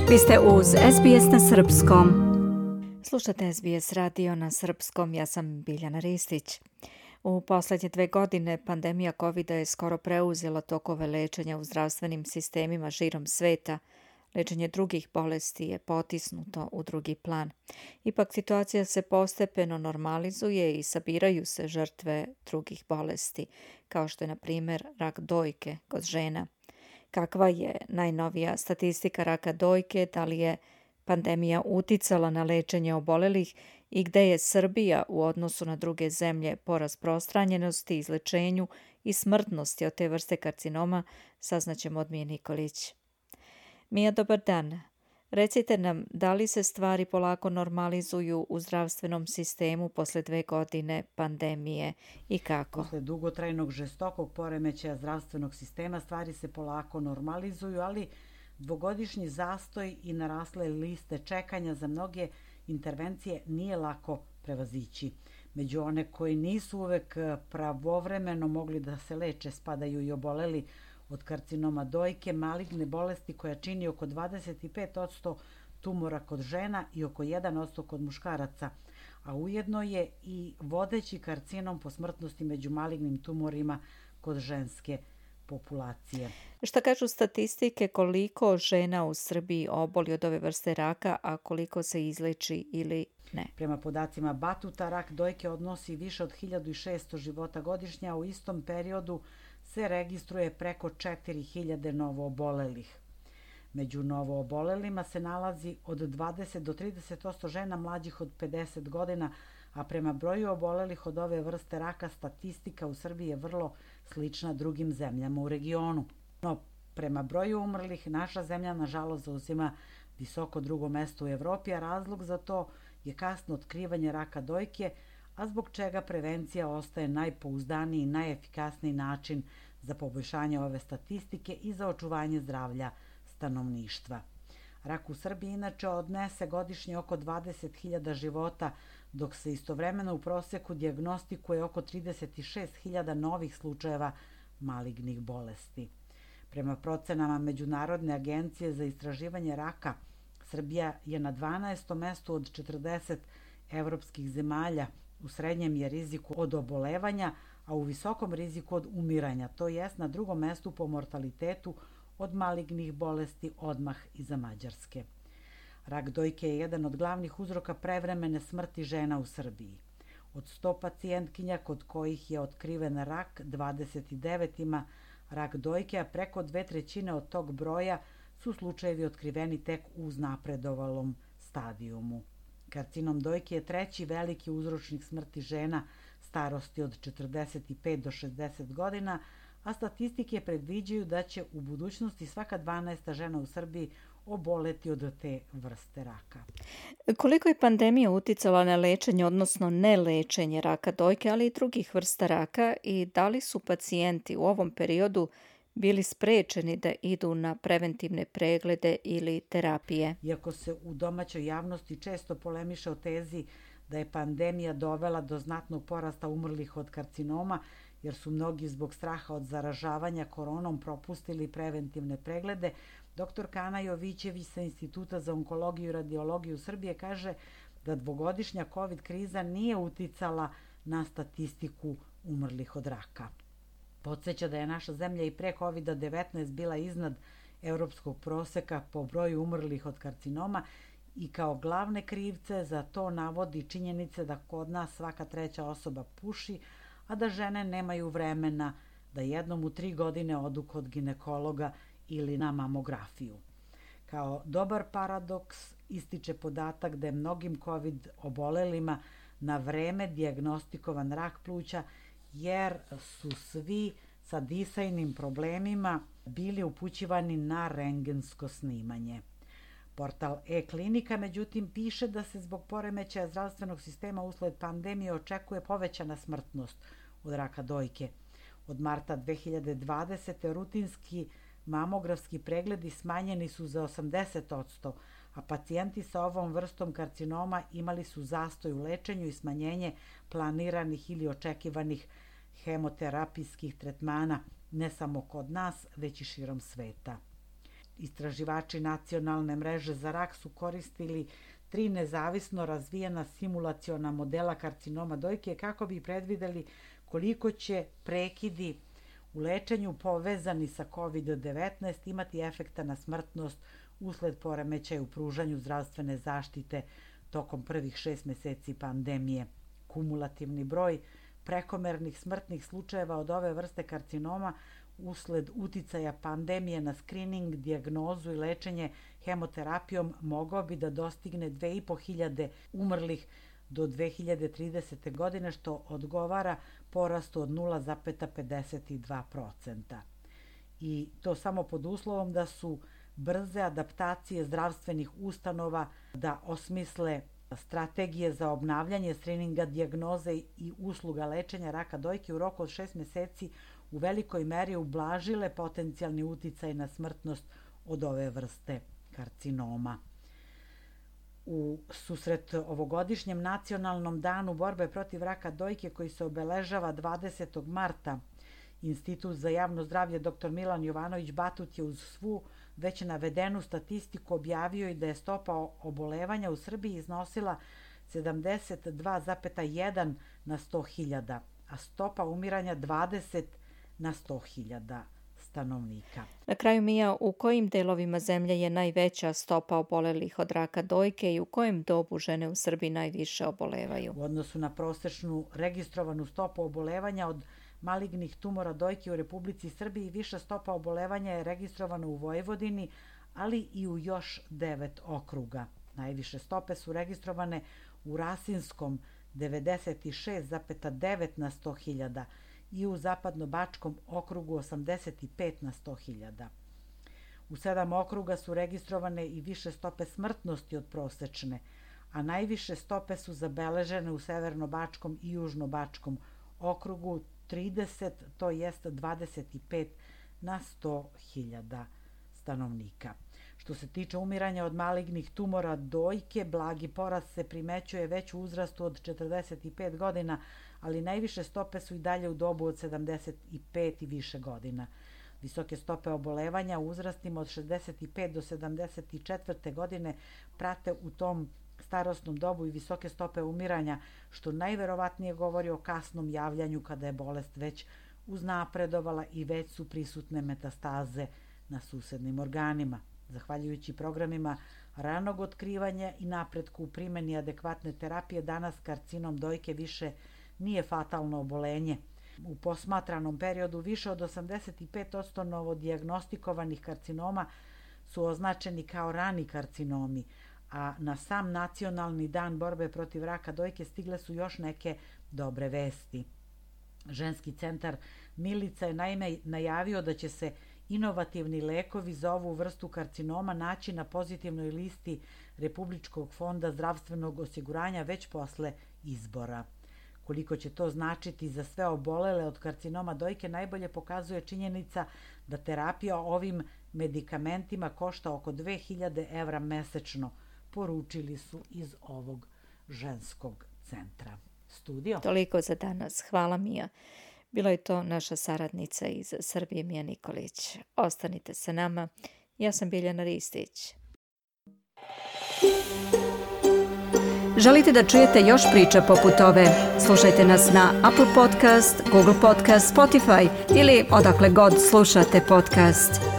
Vi ste uz SBS na Srpskom. Slušate SBS radio na Srpskom, ja sam Biljana Ristić. U posljednje 2 godine pandemija COVID-a je skoro preuzela tokove lečenja u zdravstvenim sistemima širom sveta. Lečenje drugih bolesti je potisnuto u drugi plan. Ipak situacija se postepeno normalizuje i sabiraju se žrtve drugih bolesti, kao što je na primjer rak dojke kod žena. Kakva je najnovija statistika raka dojke, da li je pandemija uticala na lečenje obolelih i gde je Srbija u odnosu na druge zemlje po rasprostranjenosti, izlečenju i smrtnosti od te vrste karcinoma, saznaćemo od Mije Nikolić. Mija, dobar dan. Recite nam, da li se stvari polako normalizuju u zdravstvenom sistemu posle 2 godine pandemije i kako? Posle dugotrajnog žestokog poremećaja zdravstvenog sistema stvari se polako normalizuju, ali dvogodišnji zastoj i narasle liste čekanja za mnoge intervencije nije lako prevazići. Među one koji nisu uvek pravovremeno mogli da se leče spadaju i oboleli od karcinoma dojke, maligne bolesti koja čini oko 25% tumora kod žena i oko 1% kod muškaraca, a ujedno je i vodeći karcinom po smrtnosti među malignim tumorima kod ženske populacije. Šta kažu statistike koliko žena u Srbiji oboli od ove vrste raka, a koliko se izleči ili ne? Prema podacima Batuta, rak dojke odnosi više od 1600 života godišnja, a u istom periodu se registruje preko 4000 novoobolelih. Među novoobolelima se nalazi od 20 do 30% žena mlađih od 50 godina, a prema broju obolelih od ove vrste raka statistika u Srbiji je vrlo slična drugim zemljama u regionu. No, prema broju umrlih naša zemlja nažalost zauzima visoko drugo mesto u Evropi, a razlog za to je kasno otkrivanje raka dojke, a zbog čega prevencija ostaje najpouzdaniji i najefikasniji način za poboljšanje ove statistike i za očuvanje zdravlja stanovništva. Rak u Srbiji inače odnese godišnje oko 20.000 života, dok se istovremeno u proseku dijagnostikuje oko 36.000 novih slučajeva malignih bolesti. Prema procenama Međunarodne agencije za istraživanje raka, Srbija je na 12. mestu od 40 evropskih zemalja. U srednjem je riziku od obolevanja, a u visokom riziku od umiranja, to jest na drugom mestu po mortalitetu od malignih bolesti odmah iza Mađarske. Rak dojke je jedan od glavnih uzroka prevremene smrti žena u Srbiji. Od 100 pacijentkinja kod kojih je otkriven rak, 29 ima rak dojke, a preko 2/3 od tog broja su slučajevi otkriveni tek u uznapredovalom stadijumu. Karcinom dojke je treći veliki uzročnik smrti žena starosti od 45 do 60 godina, a statistike predviđaju da će u budućnosti svaka 12. žena u Srbiji oboleti od te vrste raka. Koliko je pandemija uticala na lečenje, odnosno nelečenje raka dojke, ali i drugih vrsta raka, i da li su pacijenti u ovom periodu bili sprečeni da idu na preventivne preglede ili terapije? Iako se u domaćoj javnosti često polemiše o tezi da je pandemija dovela do znatnog porasta umrlih od karcinoma, jer su mnogi zbog straha od zaražavanja koronom propustili preventivne preglede, dr. Kana Jovićević sa Instituta za onkologiju i radiologiju Srbije kaže da dvogodišnja COVID kriza nije uticala na statistiku umrlih od raka. Podsjeća da je naša zemlja i pre COVID-19 bila iznad evropskog proseka po broju umrlih od karcinoma i kao glavne krivce za to navodi činjenice da kod nas svaka 3. osoba puši, a da žene nemaju vremena da jednom u 3 godine odu kod ginekologa ili na mamografiju. Kao dobar paradoks ističe podatak da je mnogim COVID obolelima na vreme dijagnostikovan rak pluća, jer su svi sa disajnim problemima bili upućivani na rentgensko snimanje. Portal e-klinika, međutim, piše da se zbog poremećaja zdravstvenog sistema usled pandemije očekuje povećana smrtnost od raka dojke. Od marta 2020. rutinski mamografski pregledi smanjeni su za 80%, a pacijenti sa ovom vrstom karcinoma imali su zastoj u lečenju i smanjenje planiranih ili očekivanih hemoterapijskih tretmana, ne samo kod nas, već i širom sveta. Istraživači nacionalne mreže za rak su koristili 3 nezavisno razvijena simulaciona modela karcinoma dojke kako bi predvideli koliko će prekidi u lečenju povezani sa COVID-19 imati efekta na smrtnost usled poremećaja u pružanju zdravstvene zaštite tokom prvih 6 meseci pandemije. Kumulativni broj prekomernih smrtnih slučajeva od ove vrste karcinoma usled uticaja pandemije na skrining, dijagnozu i lečenje hemoterapijom mogao bi da dostigne 2500 umrlih do 2030. godine, što odgovara porastu od 0,52%. I to samo pod uslovom da su brze adaptacije zdravstvenih ustanova da osmisle strategije za obnavljanje skrininga, dijagnoze i usluga lečenja raka dojke u roku od 6 meseci u velikoj meri ublažile potencijalni uticaj na smrtnost od ove vrste karcinoma. U susret ovogodišnjem nacionalnom danu borbe protiv raka dojke koji se obeležava 20. marta, Institut za javno zdravlje dr. Milan Jovanović Batut je uz svu već navedenu statistiku objavio i da je stopa obolevanja u Srbiji iznosila 72,1 na 100.000, a stopa umiranja 20 na 100.000 stanovnika. Na kraju, Mija, u kojim delovima zemlje je najveća stopa obolelih od raka dojke i u kojem dobu žene u Srbiji najviše obolevaju? U odnosu na prosečnu registrovanu stopu obolevanja od malignih tumora dojke u Republici Srbiji, viša stopa obolevanja je registrovana u Vojvodini, ali i u još 9 okruga. Najviše stope su registrovane u Rasinskom 96,9 na 100.000 i u Zapadno-bačkom okrugu 85 na 100.000. U 7 okruga su registrovane i više stope smrtnosti od prosečne, a najviše stope su zabeležene u Severno-bačkom i Južno-bačkom okrugu 30, to jest 25 na 100.000 stanovnika. Što se tiče umiranja od malignih tumora dojke, blagi porast se primećuje već u uzrastu od 45 godina, ali najviše stope su i dalje u dobu od 75 i više godina. Visoke stope obolevanja u uzrastima od 65 do 74. godine prate u tom starosnom dobu i visoke stope umiranja, što najverovatnije govori o kasnom javljanju kada je bolest već uznapredovala i već su prisutne metastaze na susednim organima. Zahvaljujući programima ranog otkrivanja i napretku u primjeni adekvatne terapije, danas karcinom dojke više nije fatalno obolenje. U posmatranom periodu više od 85% novodijagnostikovanih karcinoma su označeni kao rani karcinomi, a na sam nacionalni dan borbe protiv raka dojke stigle su još neke dobre vesti. Ženski centar Milica je naime najavio da će se inovativni lekovi za ovu vrstu karcinoma naći na pozitivnoj listi Republičkog fonda zdravstvenog osiguranja već posle izbora. Koliko će to značiti za sve obolele od karcinoma dojke najbolje pokazuje činjenica da terapija ovim medikamentima košta oko 2000 evra mesečno, poručili su iz ovog ženskog centra. Studio. Toliko za danas. Hvala, Mija. Bilo je to naša saradnica iz Srbije, Mija Nikolić. Ostanite sa nama. Ja sam Biljana Ristić. Želite da čujete još priča poput ove? Slušajte nas na Apple Podcast, Google Podcast, Spotify ili odakle god slušate podcast.